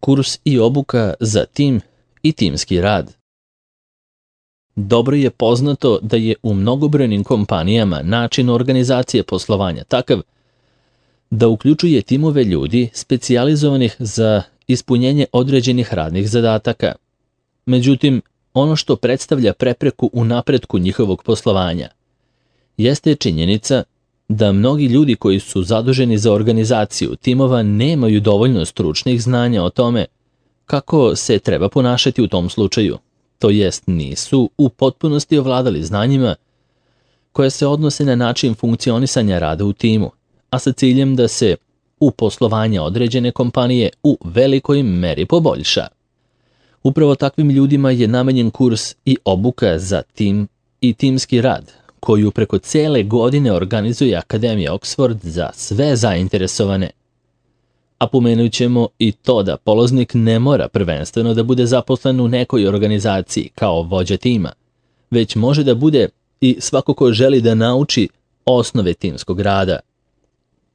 Kurs i obuka za tim i timski rad. Dobro je poznato da je u mnogobrojnim kompanijama način organizacije poslovanja takav da uključuje timove ljudi specijalizovanih za ispunjenje određenih radnih zadataka. Međutim, ono što predstavlja prepreku u napretku njihovog poslovanja jeste činjenica da mnogi ljudi koji su zaduženi za organizaciju timova nemaju dovoljno stručnih znanja o tome kako se treba ponašati u tom slučaju, to jest nisu u potpunosti ovladali znanjima koje se odnose na način funkcionisanja rada u timu, a sa ciljem da se u poslovanje određene kompanije u velikoj meri poboljša. Upravo takvim ljudima je namenjen kurs i obuka za tim i timski rad, koju preko cele godine organizuje Akademija Oxford za sve zainteresovane. A pomenut ćemo i to da polaznik ne mora prvenstveno da bude zaposlen u nekoj organizaciji kao vođa tima, već može da bude i svako ko želi da nauči osnove timskog rada.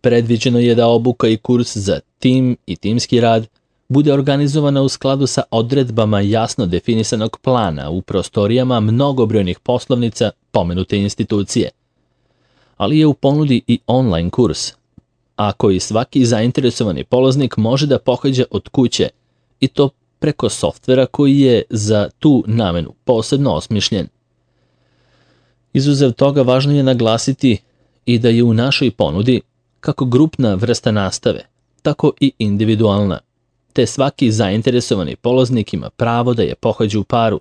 Predviđeno je da obuka i kurs za tim i timski rad bude organizovana u skladu sa odredbama jasno definisanog plana u prostorijama mnogobrojnih poslovnica pomenute institucije. Ali je u ponudi i online kurs, a koji svaki zainteresovani polaznik može da pohađa od kuće, i to preko softvera koji je za tu namenu posebno osmišljen. Izuzev toga, važno je naglasiti i da je u našoj ponudi kako grupna vrsta nastave, tako i individualna, te svaki zainteresovani polaznik ima pravo da je pohađa u paru,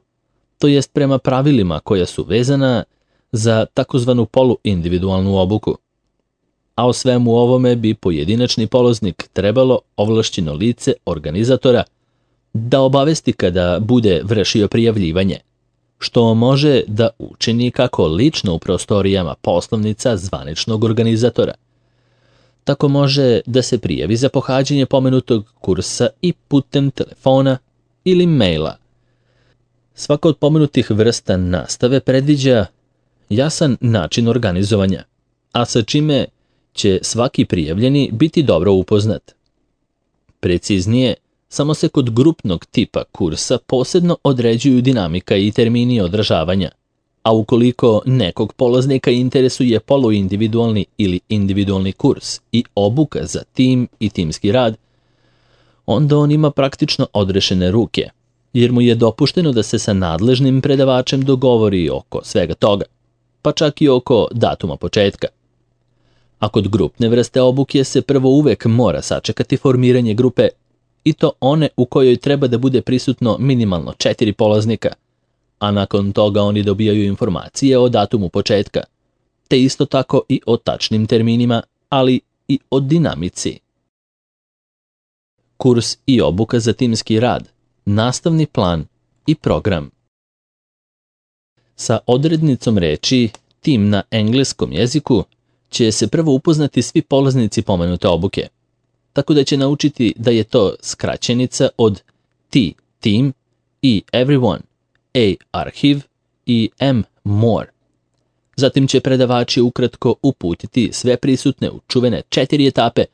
to jest prema pravilima koja su vezana za takozvanu poluindividualnu obuku. A o svemu ovome bi pojedinačni polaznik trebalo ovlašćeno lice organizatora da obavesti kada bude vršio prijavljivanje, što može da učini kako lično u prostorijama poslovnica zvaničnog organizatora, tako može da se prijavi za pohađanje pomenutog kursa i putem telefona ili maila. Svaka od pomenutih vrsta nastave predviđa jasan način organizovanja, a sa čime će svaki prijavljeni biti dobro upoznat. Preciznije, samo se kod grupnog tipa kursa posebno određuju dinamika i termini održavanja, a ukoliko nekog polaznika interesuje poluindividualni ili individualni kurs i obuka za tim i timski rad, onda on ima praktično odrešene ruke, jer mu je dopušteno da se sa nadležnim predavačem dogovori oko svega toga, pa čak i oko datuma početka. A kod grupne vrste obuke se prvo uvek mora sačekati formiranje grupe, i to one u kojoj treba da bude prisutno minimalno 4 polaznika, a nakon toga oni dobijaju informacije o datumu početka, te isto tako i o tačnim terminima, ali i o dinamici. Kurs i obuka za timski rad, nastavni plan i program. Sa odrednicom reči tim na engleskom jeziku će se prvo upoznati svi polaznici pomenute obuke, tako da će naučiti da je to skraćenica od T, team, i everyone, A, arhive i M, more. Zatim će predavači ukratko uputiti sve prisutne u čuvene 4 etape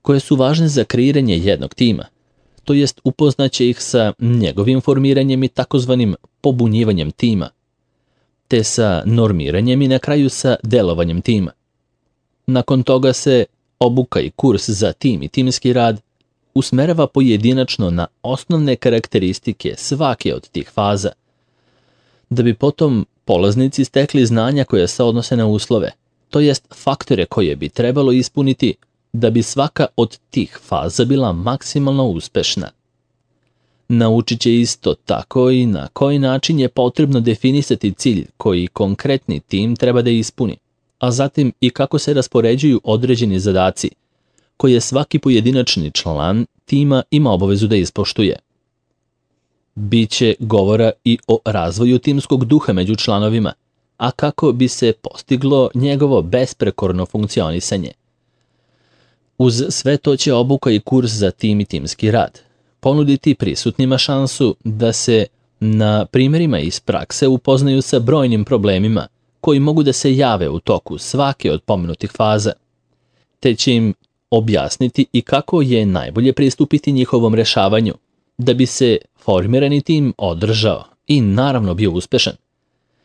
koje su važne za kreiranje jednog tima, to jest upoznaće ih sa njegovim formiranjem i takozvanim pobunjivanjem tima, te sa normiranjem i na kraju sa delovanjem tima. Nakon toga se obuka i kurs za tim i timski rad usmerava pojedinačno na osnovne karakteristike svake od tih faza, da bi potom polaznici stekli znanja koja se odnose na uslove, to jest faktore koje bi trebalo ispuniti da bi svaka od tih faza bila maksimalno uspešna. Naučit će isto tako i na koji način je potrebno definisati cilj koji konkretni tim treba da ispuni, a zatim i kako se raspoređuju određeni zadaci koje svaki pojedinačni član tima ima obavezu da ispoštuje. Biće govora i o razvoju timskog duha među članovima, a kako bi se postiglo njegovo besprekorno funkcionisanje. Uz sve to će obuka i kurs za tim i timski rad ponuditi prisutnima šansu da se na primjerima iz prakse upoznaju sa brojnim problemima koji mogu da se jave u toku svake od pomenutih faza, te će im objasniti i kako je najbolje pristupiti njihovom rešavanju, da bi se formirani tim održao i naravno bio uspešan.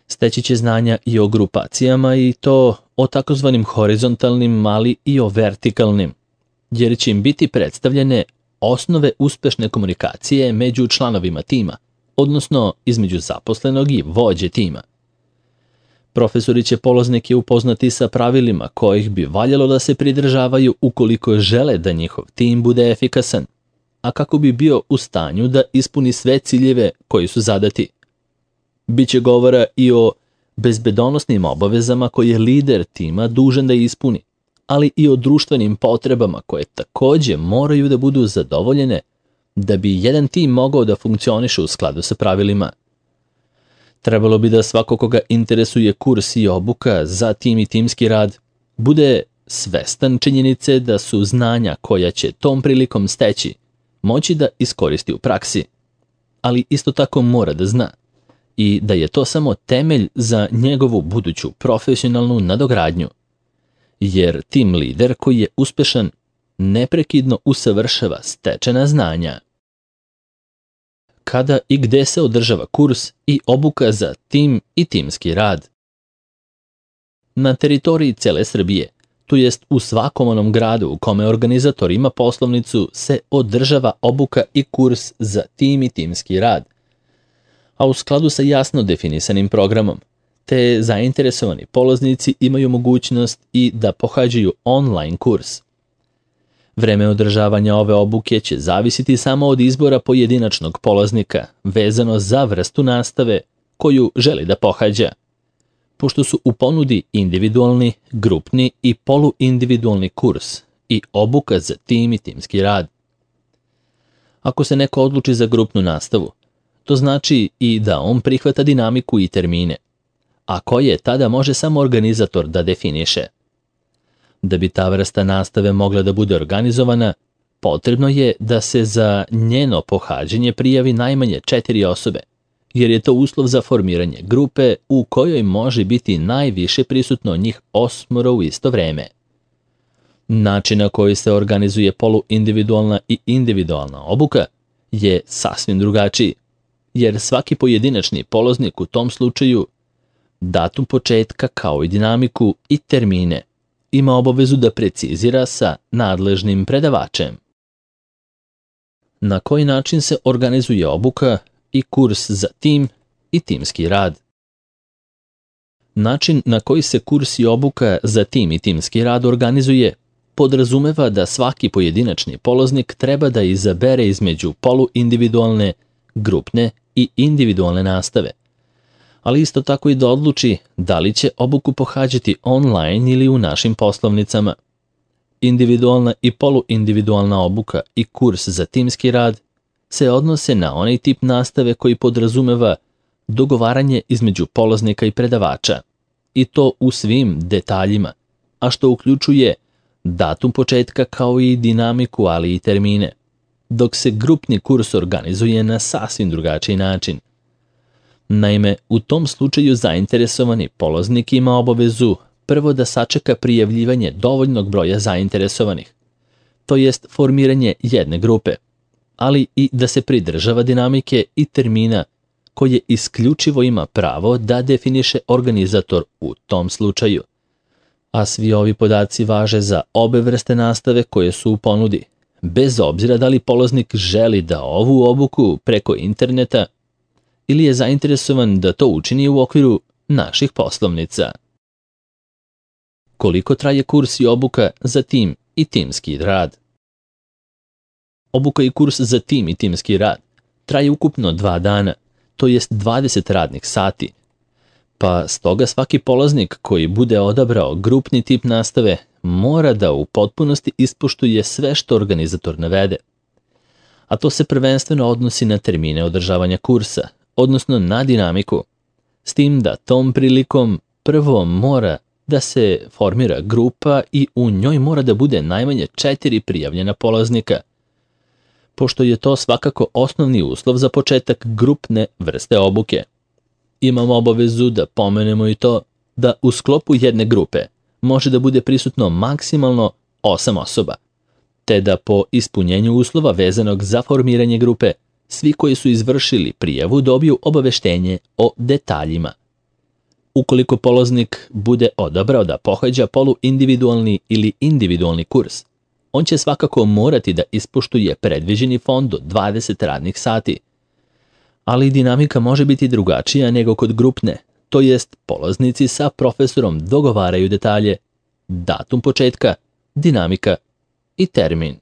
Steći će znanja i o grupacijama i to o takozvanim horizontalnim, ali i o vertikalnim, jer će im biti predstavljene osnove uspešne komunikacije među članovima tima, odnosno između zaposlenog i vođe tima. Profesori će polaznike upoznati sa pravilima kojih bi valjalo da se pridržavaju ukoliko žele da njihov tim bude efikasan, a kako bi bio u stanju da ispuni sve ciljeve koji su zadati. Biće govora i o bezbedonosnim obavezama koje je lider tima dužan da ispuni, ali i o društvenim potrebama koje takođe moraju da budu zadovoljene da bi jedan tim mogao da funkcioniše u skladu sa pravilima. Trebalo bi da svako koga interesuje kurs i obuka za tim i timski rad bude svestan činjenice da su znanja koja će tom prilikom steći moći da iskoristi u praksi, ali isto tako mora da zna i da je to samo temelj za njegovu buduću profesionalnu nadogradnju, jer tim lider koji je uspešan neprekidno usavršava stečena znanja. Kada i gde se održava kurs i obuka za tim i timski rad? Na teritoriji cele Srbije, to jest u svakom onom gradu u kome organizator ima poslovnicu, se održava obuka i kurs za tim i timski rad, a u skladu sa jasno definisanim programom, te zainteresovani polaznici imaju mogućnost i da pohađaju online kurs. Vreme održavanja ove obuke će zavisiti samo od izbora pojedinačnog polaznika, vezano za vrstu nastave koju želi da pohađa, pošto su u ponudi individualni, grupni i poluindividualni kurs i obuka za tim i timski rad. Ako se neko odluči za grupnu nastavu, to znači i da on prihvata dinamiku i termine, a koje tada može samo organizator da definiše. Da bi ta vrsta nastave mogla da bude organizovana, potrebno je da se za njeno pohađanje prijavi najmanje 4 osobe, jer je to uslov za formiranje grupe u kojoj može biti najviše prisutno njih 8 u isto vreme. Način na koji se organizuje poluindividualna i individualna obuka je sasvim drugačiji, jer svaki pojedinačni polaznik u tom slučaju datum početka kao i dinamiku i termine ima obavezu da precizira sa nadležnim predavačem. Na koji način se organizuje obuka i kurs za tim i timski rad? Način na koji se kurs i obuka za tim i timski rad organizuje podrazumeva da svaki pojedinačni polaznik treba da izabere između poluindividualne, grupne i individualne nastave, ali isto tako i da odluči da li će obuku pohađati online ili u našim poslovnicama. Individualna i poluindividualna obuka i kurs za timski rad se odnose na onaj tip nastave koji podrazumeva dogovaranje između polaznika i predavača, i to u svim detaljima, a što uključuje datum početka kao i dinamiku, ali i termine, dok se grupni kurs organizuje na sasvim drugačiji način. Naime, u tom slučaju zainteresovani polaznik ima obavezu prvo da sačeka prijavljivanje dovoljnog broja zainteresovanih, to jest formiranje jedne grupe, ali i da se pridržava dinamike i termina koje isključivo ima pravo da definiše organizator u tom slučaju. A svi ovi podaci važe za obe vrste nastave koje su u ponudi, bez obzira da li polaznik želi da ovu obuku preko interneta ili je zainteresovan da to učini u okviru naših poslovnica. Koliko traje kurs i obuka za tim i timski rad? Obuka i kurs za tim i timski rad traje ukupno 2 dana, to jest 20 radnih sati, pa stoga svaki polaznik koji bude odabrao grupni tip nastave mora da u potpunosti ispoštuje sve što organizator navede. A to se prvenstveno odnosi na termine održavanja kursa, odnosno na dinamiku, s tim da tom prilikom prvo mora da se formira grupa i u njoj mora da bude najmanje 4 prijavljena polaznika, pošto je to svakako osnovni uslov za početak grupne vrste obuke. Imamo obavezu da pomenemo i to da u sklopu jedne grupe može da bude prisutno maksimalno 8 osoba, te da po ispunjenju uslova vezanog za formiranje grupe, svi koji su izvršili prijavu dobiju obaveštenje o detaljima. Ukoliko polaznik bude odabrao da pohađa poluindividualni ili individualni kurs, on će svakako morati da ispoštuje predviđeni fond od 20 radnih sati. Ali dinamika može biti drugačija nego kod grupne, to jest polaznici sa profesorom dogovaraju detalje, datum početka, dinamika i termin.